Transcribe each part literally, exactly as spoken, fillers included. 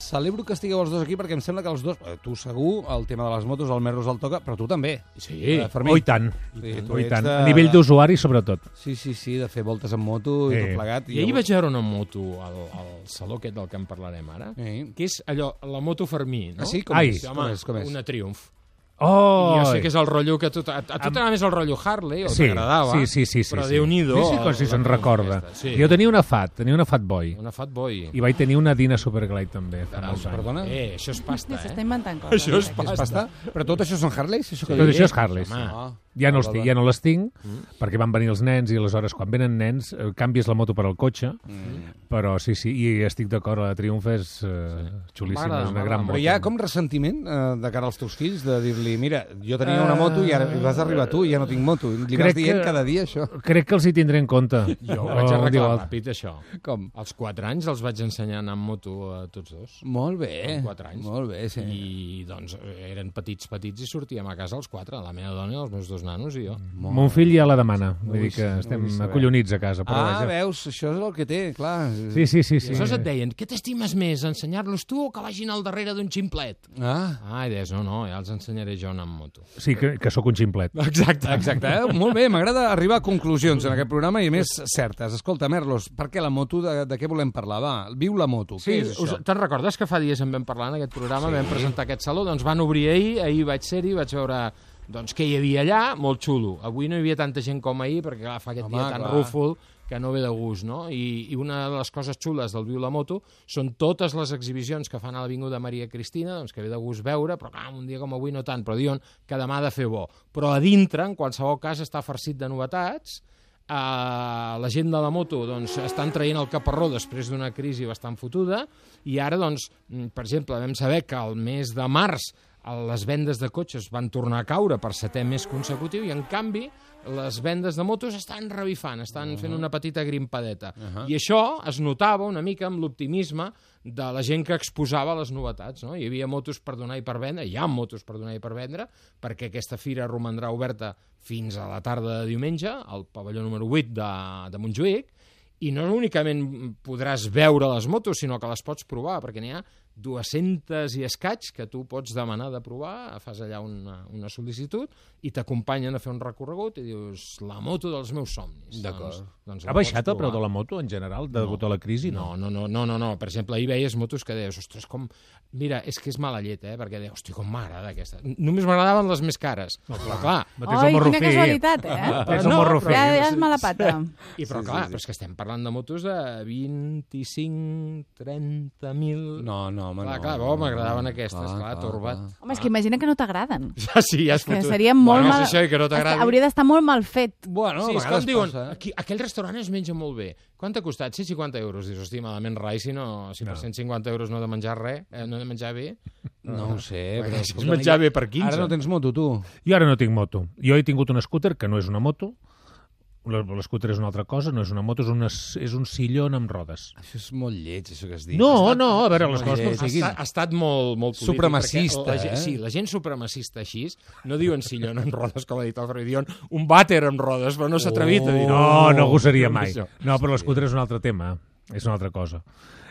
Celebro que estigueu els dos aquí perquè em sembla que els dos, tu segur, el tema de les motos, el Merlos el toca, però tu també. Sí, eh, oh, i tant. Sí, Oh, i tant. de... A nivell d'usuari, sobretot. Sí, sí, sí, de fer voltes en moto i Eh. tot plegat. I I ahir vaig veure una moto al, al saló aquest del que en parlarem ara, Eh. que és allò, la moto Fermí, no? Ah, sí? Com Ai, és? home, Com és? Com és? una Triumph. Oh! I jo sé que és el rotllo que a tu, a, a tu t'agrada més el rotllo Harley, o Sí, t'agradava, sí, sí, sí, sí, però sí. Déu-n'hi-do. Sí, sí, com si la se'n Triumph recorda. aquesta, sí. Jo tenia una Fat, tenia una Fat Boy. Una Fat Boy. I vaig tenir una Dina Superglide també, fa Caram, molts anys. Perdona? Eh, això és pasta, S'està eh? inventant coses. Això és eh? pasta. És pasta? Però tot això són Harleys? Això que Tot dius? això és Harley, sí. Home. Ah. Ja no, Val, els, val, ja no les tinc, Mm. perquè van venir els nens, i aleshores, quan venen nens, eh, canvies la moto per al cotxe, Mm. però sí, sí, i estic d'acord, la Triumph és eh, xulíssima, M'agrada, és una m'agrada gran molt. moto. Però hi ha com ressentiment eh, de cara als teus fills de dir-li, mira, jo tenia una moto i ara vas arribar tu i ja no tinc moto. Li vas Crec dient que- cada dia això. Crec que els hi tindré en compte. Jo ho Oh, vaig arreglar diu, ràpid, això. Com? Als quatre anys els vaig ensenyar a anar amb moto a tots dos. Molt bé. Amb quatre anys. Molt bé, sí. I, doncs, eren petits, petits i sortíem a casa els quatre, la meva dona i els meus dos nanos i jo. Mon fill ja la demana, vull vull dir que saber, estem vull saber. acollonits a casa. Però Ah, vaja. veus, això és el que té, clar. Sí, sí, sí. I sí. aleshores et deien, què t'estimes més, ensenyar-los tu o que vagin al darrere d'un ximplet? Ah, Ah, i deies, no, no, ja els ensenyaré jo anar amb moto. Sí, que, que sóc un ximplet. Exacte. exacte. Eh? Molt bé, m'agrada arribar a conclusions en aquest programa i a més certes. Escolta, Merlos, per què la moto? De, de què volem parlar? Va, viu la moto. Sí, Què és us, això? te'n recordes que fa dies en vam parlar en aquest programa, sí. Vam presentar aquest saló, doncs van obrir ahir, ahir vaig ser-hi, vaig veure doncs, què hi havia allà, molt xulo. Avui no hi havia tanta gent com ahir, perquè clar, fa aquest Home, dia tan clar. rúfol que no ve de gust, no? I, I una de les coses xules del Viu la Moto són totes les exhibicions que fan a l'Avinguda Maria Cristina, doncs que ve de gust veure, però clar, un dia com avui no tant, però diuen que demà ha de fer bo. Però a dintre, en qualsevol cas, està farcit de novetats. Uh, la gent de la moto doncs, estan traient el caparró després d'una crisi bastant fotuda i ara, doncs, per exemple, vam saber que el mes de març les vendes de cotxes van tornar a caure per setè mes consecutiu i, en canvi, les vendes de motos estan revifant, estan fent una petita grimpadeta. Uh-huh. I això es notava una mica amb l'optimisme de la gent que exposava les novetats, no? Hi havia motos per donar i per vendre, hi ha motos per donar i per vendre, perquè aquesta fira romandrà oberta fins a la tarda de diumenge, al pavelló número vuit de, de Montjuïc, i no únicament podràs veure les motos, sinó que les pots provar, perquè n'hi ha dues-centes i escaig que tu pots demanar de provar, fas allà una, una sol·licitud i t'acompanyen a fer un recorregut i dius, la moto dels meus somnis. D'acord. Doncs, doncs Ha baixat el preu de la moto, en general, degut a la crisi? No, no, no, no, no, no. Per exemple, ahir veies motos que deies, ostres, com... Mira, és que és mala llet, eh? Perquè deies, hosti, com m'agrada aquesta. Només m'agradaven les més cares. No, però clar, No tens Ai, el morro quina fi. casualitat, eh? Tens el No, morro però fi. Ja, ja és mala pata. I, però Sí, clar, sí, sí. però és que estem parlant de motos de vint-i-cinc, trenta mil... No, no, home, Clar, no. clar, bo, m'agradaven aquestes, clar, torbat. Home, és que imagina que no t'agraden. Ja, sí, ja és Que fotut. seria molt bueno, mal... és això, i que no t'agradi. Hauria d'estar molt mal fet. Bueno, Sí, a és vegades com diuen, passa, eh? aquí, aquell restaurant es menja molt bé. Quant t'ha costat? cent cinquanta euros. Dius, hosti, malament rai, si, no, si per No. cent cinquanta euros no he de menjar res, eh, no he de menjar bé. No ho sé, però... Perquè si es escolta, menjar ja- bé per quinze. Ara no tens moto, tu. Jo ara no tinc moto. Jo he tingut un scooter, que no és una moto. L'scooter és una altra cosa, no és una moto, és, una, és un sillon amb rodes. Això és molt lleig, això que has dit. No, no, a veure, les molt coses com lleig. Ha, siguin. estat, ha estat molt, molt polític. Supremacista, perquè la, gent- eh? Sí, la gent supremacista així no diuen sillon amb rodes, com ha dit el Freud, diuen un vàter amb rodes, però no s'ha atrevit a dir. No, no gosaria mai. Això. No, però l'escooter és un altre tema. És una altra cosa.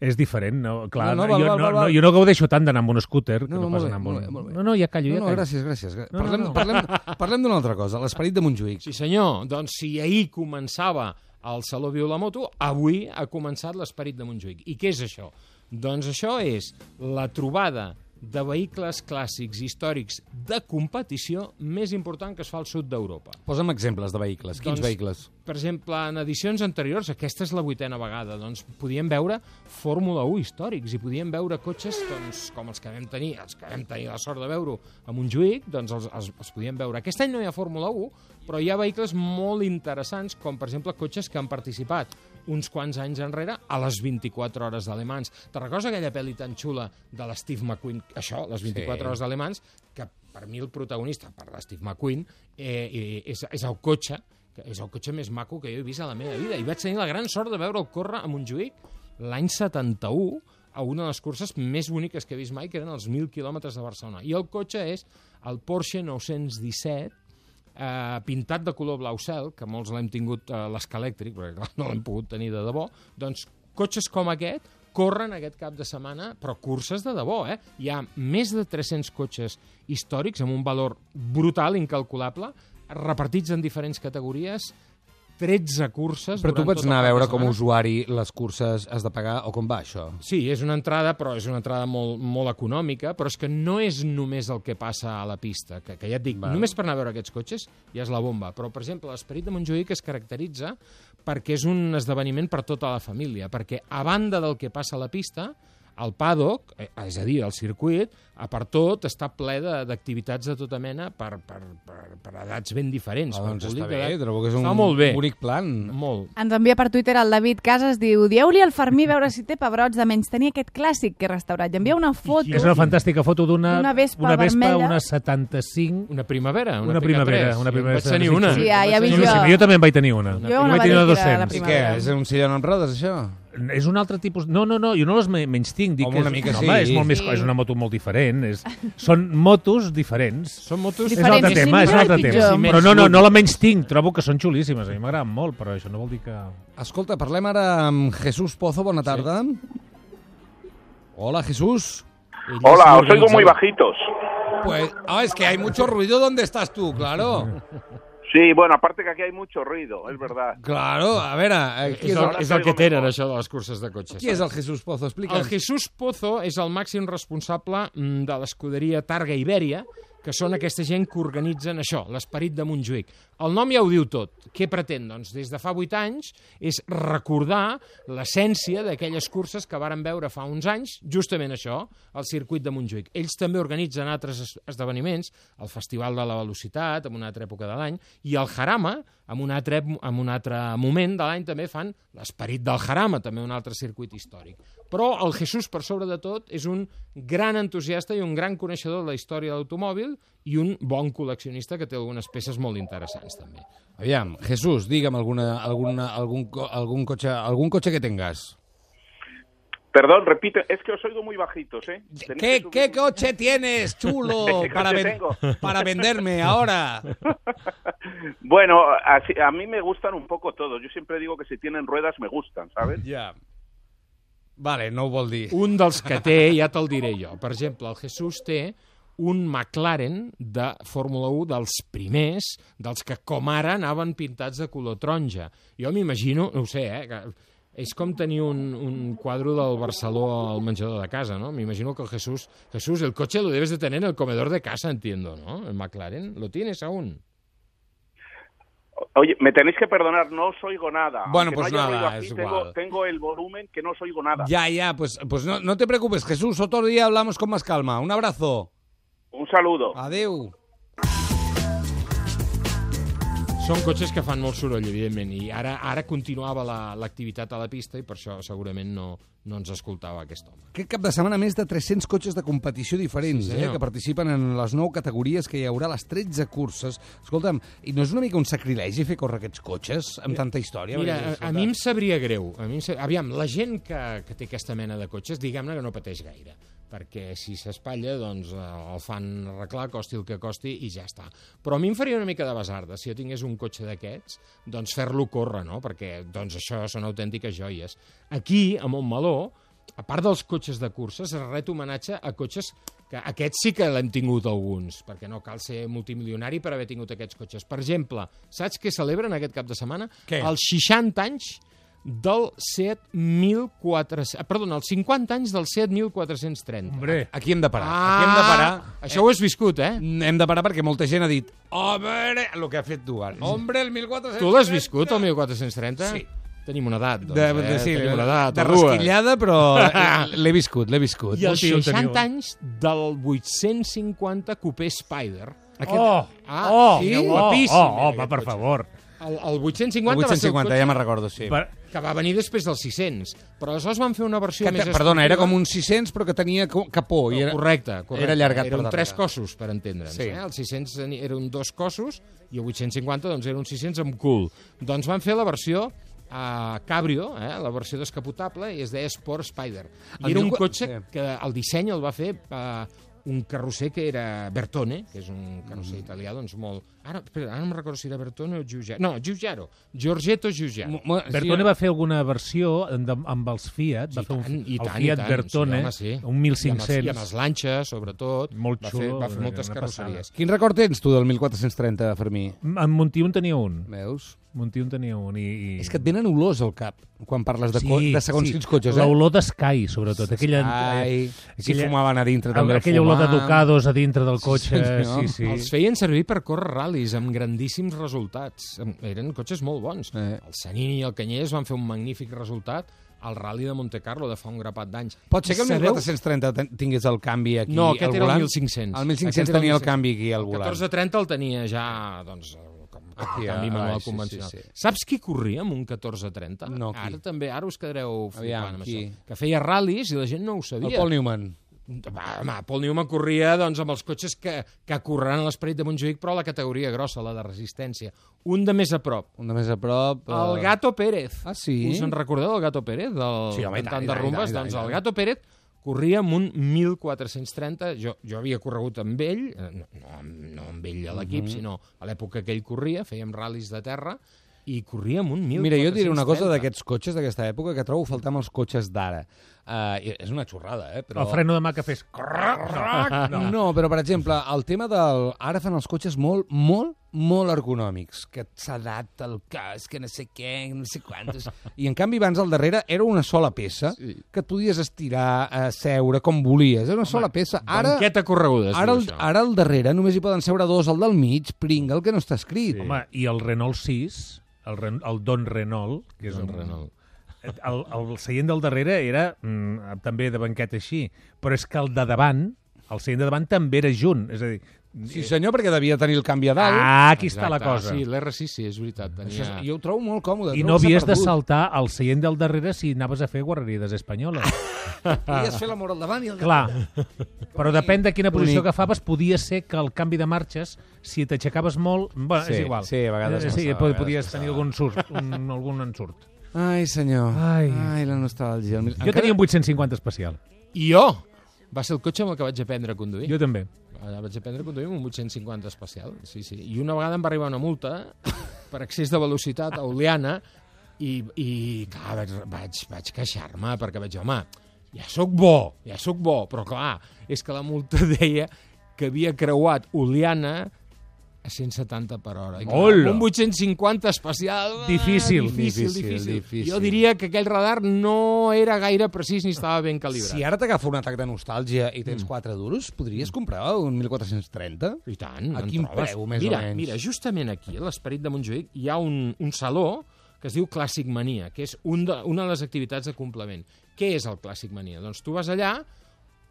És diferent, no? Clar, No, no, no, val, jo, val, no, val, no, val. jo no gaudeixo tant d'anar amb un scooter que No, no, no, pas molt bé, anar amb molt un... bé, molt bé. No, no, ja callo, No, ja no, callo. gràcies, gràcies. no, Parlem, no. parlem, parlem d'una altra cosa, l'esperit de Montjuïc. Sí, senyor. Doncs si ahir començava el Saló Viu la Moto, avui ha començat l'Esperit de Montjuïc. I què és això? Doncs això és la trobada de vehicles clàssics històrics de competició més important que es fa al sud d'Europa. Posa'm exemples de vehicles. Quins Doncs, vehicles? Per exemple, en edicions anteriors, aquesta és la vuitena vegada, doncs podíem veure Fórmula u històrics i podíem veure cotxes doncs, com els que vam tenir, els que vam tenir la sort de veure a Montjuïc, doncs els, els, els podíem veure. Aquest any no hi ha Fórmula u, però hi ha vehicles molt interessants, com per exemple cotxes que han participat uns quants anys enrere a les vint-i-quatre hores de Le Mans. Te recordes aquella pel·li tan xula de l'Steve McQueen? Això, les vint-i-quatre Sí. hores de Le Mans, que per mi el protagonista, per l'Steve McQueen, eh, és, és el cotxe, que és el cotxe més maco que jo he vist a la meva vida. I vaig tenir la gran sort de veure'l córrer a Montjuïc l'any setanta-u, a una de les curses més boniques que he vist mai, que eren els mil quilòmetres de Barcelona. I el cotxe és el Porsche nou-cents disset, eh, pintat de color blau cel, que molts l'hem tingut a l'esca elèctric, perquè clar, no l'hem pogut tenir de debò, doncs cotxes com aquest corren aquest cap de setmana, però curses de debò, eh? Hi ha més de tres-cents cotxes històrics amb un valor brutal, incalculable, repartits en diferents categories, tretze curses... Però tu durant pots tot el anar a cap de veure com a setmana. usuari les curses has de pagar o com va això? Sí, és una entrada, però és una entrada molt, molt econòmica, però és que no és només el que passa a la pista, que, que ja et dic, Val. només per anar a veure aquests cotxes ja és la bomba. Però, per exemple, l'Esperit de Montjuïc es caracteritza perquè és un esdeveniment per tota la família, perquè a banda del que passa a la pista, el paddock, eh, és a dir, el circuit, a part tot, està ple de- d'activitats de, de tota mena per, per, per, per edats ben diferents. Ah, per doncs públic està bé, d'edat. trobo que és un Està molt bé. bonic plan. Molt. Ens envia per Twitter el David Casas, diu, dieu-li al Fermí veure si té pebrots de menys tenir aquest clàssic que he restaurat. I envia una foto. És una fantàstica foto d'una Una Vespa una, Vespa, vermella. una setanta-cinc... Una primavera, una, Una P K tres. primavera, una Jo en primavera vaig tenir una. Sí, ja- ja En vaig vi tenir jo. una. Sí, jo també en vaig tenir una. Jo Jo una vaig tenir una vaig tirar a la dos-cents. I què? primavera. És un sillon amb rodes, això? És un altre tipus... No, no, no, jo no les me- menys tinc. Dic Home, que una és, mica no, sí. home, és, molt més, Sí. és una moto molt diferent. És, són motos diferents. Són motos... És un altre Diferents, tema, sí, és un altre pitjor. tema. Sí, Però no, no, menys no la menys tinc. Trobo que són xulíssimes. A mi m'agraden molt, però això no vol dir que... Escolta, parlem ara amb Jesús Pozo. Bona tarda. Hola, Jesús. Ell és Hola, os oigo l'organitzador. muy bajitos. Pues, ah, es que hay mucho ruido donde estás tú, claro. Sí, bueno, aparte que aquí hay mucho ruido, es verdad. Claro, a veure, eh, qui És és el, el, és el que tenen, això, de les curses de cotxes. qui és el Jesús Pozo? El Explica'ns. Jesús Pozo és el màxim responsable mm, de l'escuderia Targa Ibèria, que són aquesta gent que organitzen això, l'Esperit de Montjuïc. El nom ja ho diu tot. Què pretén? Doncs des de fa vuit anys és recordar l'essència d'aquelles curses que varen veure fa uns anys, justament això, el circuit de Montjuïc. Ells també organitzen altres es- esdeveniments, el Festival de la Velocitat, en una altra època de l'any, i el Jarama, en un altre, en un altre moment de l'any també fan l'Esperit del Jarama, també un altre circuit històric. Però el Jesús, per sobre de tot, és un gran entusiasta i un gran coneixedor de la història de l'automòbil i un bon col·leccionista que té algunes peces molt interessants, també. Aviam, Jesús, digue'm alguna, alguna, algun, co- algun, cotxe, algun cotxe que tengas. Perdón, repite, es que os oigo muy bajitos, ¿eh? Tenéis ¿Qué, que ¿Qué subir- coche tienes, chulo, ¿Qué para, coche ven- tengo? para venderme ahora? Bueno, así- a mí me gustan un poco todos. Yo siempre digo que si tienen ruedas me gustan, ¿sabes? Ja. Vale, no ho vol dir. Un dels que té, ja te'l diré jo. Per exemple, el Jesús té un McLaren de Fórmula u dels primers, dels que com ara anaven pintats de color taronja. Jo m'imagino, no ho sé, eh, que és com tenir un, un quadre del Barceló al menjador de casa, ¿no? M'imagino que el Jesús... Jesús, el coche lo debes de tener en el comedor de casa, entiendo, ¿no? El McLaren, ¿lo tienes aún? Oye, me tenéis que perdonar, no os oigo nada. Bueno, Aunque pues no haya nada, ruido aquí, es tengo, igual. tengo el volumen que no os oigo nada. Ya, ya, pues, pues no, no te preocupes, Jesús, otro día hablamos con más calma. Un abrazo. Un saludo. Adeu. Són cotxes que fan molt soroll, evidentment, i ara ara continuava la- l'activitat a la pista i per això segurament no, no ens escoltava aquest home. Aquest cap de setmana més de tres-cents cotxes de competició diferents, Sí, eh, senyor. que participen en les nou categories que hi haurà, les tretze curses. Escolta'm, i no és una mica un sacrilegi fer córrer aquests cotxes amb tanta història? Mira, Perquè, a, a escolta, mi em sabria greu. A mi em sa... Aviam, la gent que, que té aquesta mena de cotxes, diguem-ne que no pateix gaire, perquè si s'espatlla, doncs eh, el fan arreglar, costi el que costi, i ja està. Però a mi em faria una mica de basarda, si jo tingués un cotxe d'aquests, doncs fer-lo córrer, no? Perquè doncs això són autèntiques joies. Aquí, a Montmeló, a part dels cotxes de curses, es ret homenatge a cotxes que aquests sí que l'hem tingut alguns, perquè no cal ser multimilionari per haver tingut aquests cotxes. Per exemple, saps què celebren aquest cap de setmana? Què? Els seixanta anys del Seat mil quatre-cents... Perdona, els cinquanta anys del Seat mil quatre-cents trenta. Hombre, Aquí hem de parar. Ah, Aquí hem de parar. Això ho has viscut, eh? Hem de parar perquè molta gent ha dit hombre, el que ha fet tu ara. Hombre, el mil quatre-cents. Tu l'has viscut, el mil quatre-cents trenta? Sí. Tenim una edat, doncs, De, eh? de, sí, Tenim una edat, de o dues. rasquillada, però l'he viscut, l'he viscut. I els Hòstia, en teniu. seixanta anys del vuit-cents cinquanta Coupé Spider. Aquest... oh, Ah, oh, sí? oh, Guapíssim, oh, oh, aquest va, per cotxe. favor. El, el vuit-cents El cinquanta va vuit-cents ser el cinquanta, cotxe ja me'n recordo, sí. Per, que va venir després del sis-cents. Però aleshores van fer una versió Que, més... te- perdona, era esportiva. com un sis-cents, però que tenia co- capó. I era... Correcte, correcte. era allargat per Eren darrere. tres cossos, per entendre'ns. Sí. Eh? El sis-cents eren dos cossos i el vuit-cents cinquanta doncs, era un sis-cents amb cul. Doncs van fer la versió a Cabrio, eh? La versió descapotable, i es deia Sport Spider. I El era mil un qua- cotxe sí. que el disseny el va fer eh, un carrosser que era Bertone, que és un carrosser mm. italià, doncs molt... Ara, espera, ara no em recordo si era Bertone o Giugiaro. No, Giugiaro. Giorgetto Giugiaro. M Bertone va fer alguna versió de, amb els Fiat, va fer un, I tant, el Fiat i tant, Bertone, sí, home, sí. un mil cinc-cents. I amb, i amb les lanxes, sobretot. Molt va xulo. Fer, va fer moltes carrosseries. Quin record tens tu del mil quatre-cents trenta, Fermí? En Montiun tenia un. Veus? Montiun tenia un. I, i... És que et venen olors al cap quan parles de, sí, de segons sí. quins cotxes, eh? L'olor d'Sky, sobretot. Aquella, Sky, aquella, si fumaven a dintre també aquella el olor de fumam. Ducados a dintre del cotxe. Sí, Sí, sí. Els feien servir per córrer ral·lis amb grandíssims resultats. Eren cotxes molt bons. Eh. El Sanini i el Canyelles van fer un magnífic resultat al Rally de Monte Carlo de fa un grapat d'anys. Pot ser que el Sabeu... mil quatre-cents trenta tingués el canvi aquí No, aquest al era el volant? mil cinc-cents. El mil cinc-cents Aquest era el tenia el mil cinc-cents. canvi aquí al El volant. catorze trenta el tenia ja, doncs, com a Aquí, canvi ah, manual sí, convencional. sí, sí. Saps qui corria amb un catorze trenta? No, qui? Ara també, ara us quedareu Aviam, flipant amb qui? això. Que feia ral·lis i la gent no ho sabia. El Paul Newman. Va, home, Paul Newman corria doncs, amb els cotxes que, que correran a l'esperit de Montjuïc, però a la categoria grossa, la de resistència. Un de més a prop. Un de més a prop. Uh... El Gato Pérez. Ah, sí? Us en recordeu del Gato Pérez? Del Sí, home, i tant, cantant i de tant, rumbes? i tant, i Doncs tant. el Gato Pérez corria amb un mil quatre-cents trenta. Jo, jo havia corregut amb ell, eh, no, no, no amb ell a l'equip, Mhm. sinó a l'època que ell corria, fèiem ral·lis de terra, i corria amb un mil quatre-cents trenta. Mira, jo et diré una cosa d'aquests cotxes d'aquesta època que trobo a faltar amb els cotxes d'ara. Uh, és una xorrada, eh? Però... El freno de mà que fes... No. no, però, per exemple, el tema del... Ara fan els cotxes molt, molt, molt ergonòmics, que s'adapta el cas, que no sé què, no sé quantos... I, en canvi, abans al darrere era una sola peça, Sí. que et podies estirar, a seure, com volies. Era una sola peça. Ara, Banqueta correguda, es ara, diu el, això. ara al darrere només hi poden seure dos, el del mig, pringa, el que no està escrit. Sí. Home, i el Renault sis, el, Ren el Don Renault, que és Don un... Renault. El, el seient del darrere era mm, també de banqueta així, però és que el de davant, el seient de davant també era junt, és a dir... Sí, senyor, perquè devia tenir el canvi a dalt. Ah, aquí està la Exacte, cosa. Sí, l'R sis sí, és veritat. Tenia... Això és, jo ho trobo molt còmode. I trobo no que s'ha havies de perdut. saltar al seient del darrere si anaves a fer guarrerides espanyoles. Podies fer l'amor al davant i al Clar, però depèn de quina posició Bonic. agafaves, podia ser que el canvi de marxes, si t'aixecaves molt... Bueno, Sí, és igual. sí, a vegades Eh, Sí, passava, a vegades podies passava. tenir algun, surt, un, algun ensurt. Ai, senyor. Ai. Ai, la nostàlgia. Jo tenia un vuit-cents cinquanta especial. I jo! Va ser el cotxe amb el que vaig aprendre a conduir. Jo també. Allà vaig aprendre a conduir amb un vuit-cents cinquanta especial. Sí, sí. I una vegada em va arribar una multa per excés de velocitat a Oliana i, i clar, vaig, vaig, vaig queixar-me perquè vaig dir, home, ja sóc bo, ja sóc bo, però clar, és que la multa deia que havia creuat Oliana a cent setanta per hora. I clar, Hola! un vuit-cents cinquanta especial... ah, Difícil. Difícil, Difícil, difícil, difícil. Jo diria que aquell radar no era gaire precís ni estava ben calibrat. Si ara t'agafa un atac de nostàlgia i tens quatre duros, podries comprar un mil quatre-cents trenta? I tant. A en quin trobes. preu, més o mira, menys? Mira, justament aquí, a l'Esperit de Montjuïc, hi ha un, un saló que es diu Clàssic Mania, que és un de, una de les activitats de complement. Què és el Clàssic Mania? Doncs tu vas allà,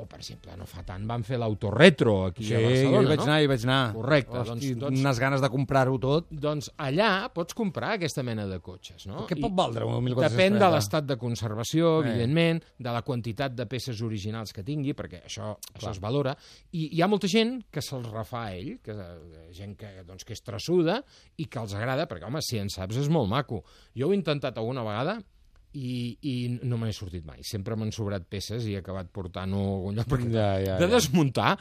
o, per exemple, no fa tant, van fer l'autoretro aquí Sí, a jo Barcelona, hi vaig no? anar, hi vaig anar. Correcte, Hosti, doncs- doncs- unes ganes de comprar-ho tot. Doncs allà pots comprar aquesta mena de cotxes, no? Què I pot valdre un mil quatre-cents trenta? Depèn de l'estat de conservació, Eh. evidentment, de la quantitat de peces originals que tingui, perquè això, això es valora. I hi ha molta gent que se'ls refà a ell, que, eh, gent que, doncs, que és traçuda i que els agrada, perquè, home, si en saps és molt maco. Jo ho he intentat alguna vegada i, i no me n'he sortit mai. Sempre m'han sobrat peces i he acabat portant-ho a algun lloc. Perquè Ja, ja, de ja. desmuntar,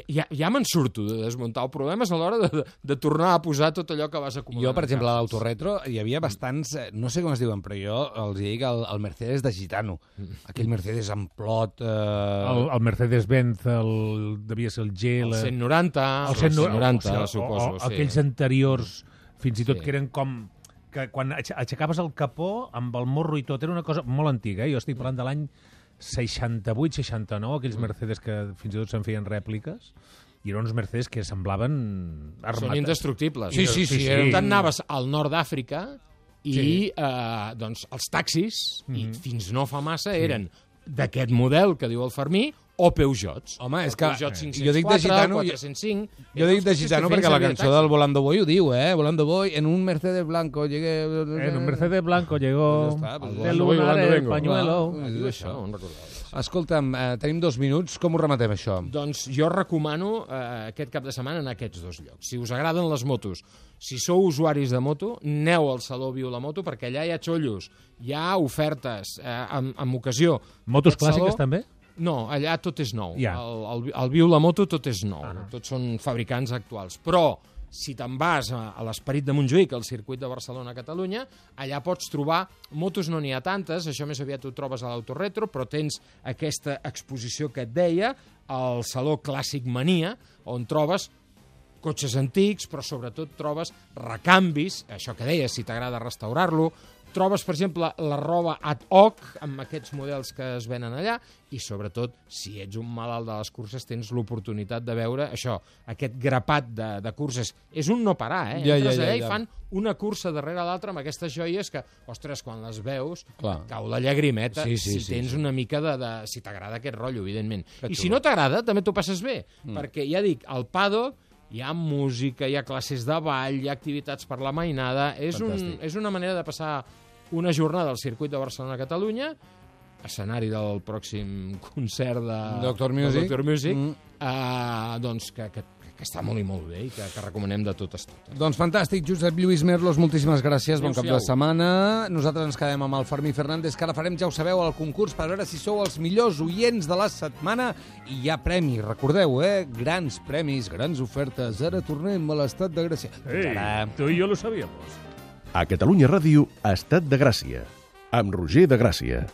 ja, ja me'n surto de desmuntar. El problema és a l'hora de, de, de tornar a posar tot allò que vas acumulant. Jo, per exemple, a a l'autoretro hi havia bastants, eh, no sé com es diuen, però jo els dic el, el Mercedes de Gitano. Aquell Mercedes amb plot... Eh... El, el Mercedes-Benz, el, devia ser el G... El la- cent noranta, el cent noranta, o, suposo. o, o sí. aquells anteriors, fins i tot Sí. que eren com que quan aix- aixecaves el capó amb el morro i tot, era una cosa molt antiga, eh? Jo estic parlant de l'any seixanta-vuit seixanta-nou, aquells Mercedes que fins i tot se'n feien rèpliques, i eren uns Mercedes que semblaven armats. Són indestructibles. Sí, sí, sí, sí. eren- Tu anaves al nord d'Àfrica i Sí. eh, doncs, els taxis, i Mhm. fins no fa massa, eren d'aquest model que diu el Fermí, o Peugeots. Home, és El que Peugeot jo cinc-cents dic de quatre, gitano, jo- quatre-cents cinc... Jo dic de Gitano perquè la cançó del Volando Boy ho diu, eh? Volando Boy, en un Mercedes blanco llegué... En un Mercedes blanco llegó Pues ja està, pues de Volando Boy, lunar Volando el vengo. pañuelo. Clar. Diu això, no en recordava. Escolta'm, eh, tenim dos minuts, com ho rematem, això? Doncs jo recomano eh, aquest cap de setmana anar a aquests dos llocs. Si us agraden les motos, si sou usuaris de moto, aneu al Saló Viu la Moto, perquè allà hi ha xollos, hi ha ofertes, eh, amb, amb ocasió. Motos Aquest clàssiques saló- també? No, allà tot és nou. Ja. El, el, el Viu-la-Moto tot és nou. Ah. Tots són fabricants actuals. Però, si te'n vas a, a l'Esperit de Montjuïc, al circuit de Barcelona-Catalunya, allà pots trobar, motos no n'hi ha tantes, això més aviat ho trobes a l'Autoretro, però tens aquesta exposició que et deia, al Saló Clàssic Mania, on trobes cotxes antics, però sobretot trobes recanvis, això que deies, si t'agrada restaurar-lo, trobes, per exemple, la roba ad hoc, amb aquests models que es venen allà, i sobretot, si ets un malalt de les curses, tens l'oportunitat de veure això, aquest grapat de, de curses. És un no parar, eh? Ja, Entres ja, ja, allà ja. i fan una cursa darrere l'altra amb aquestes joies que, ostres, quan les veus, Clar. cau la llagrimeta, Sí, sí, si sí, tens sí. una mica de, de... si t'agrada aquest rotllo, evidentment. Que I xulo. si no t'agrada, també t'ho passes bé, Mm. perquè, ja dic, al paddock hi ha música, hi ha classes de ball, hi ha activitats per la mainada, és, un, Fantàstic. és una manera de passar una jornada al circuit de Barcelona-Catalunya, escenari del pròxim concert de Doctor Music. de Doctor Music, Mm. eh, doncs que, que, que està molt i molt bé i que, que recomanem de totes totes. Doncs fantàstic, Josep Lluís Merlos, moltíssimes gràcies, bon cap de Adéu-siau. setmana. Nosaltres ens quedem amb el Fermí Fernández, que ara farem, ja ho sabeu, el concurs per veure si sou els millors oients de la setmana. I hi ha premis, recordeu, eh? Grans premis, grans ofertes. Ara tornem a l'estat de Gràcia. Fins ara. tú y yo lo sabíamos. A Catalunya Ràdio, Estat de Gràcia, amb Roger de Gràcia.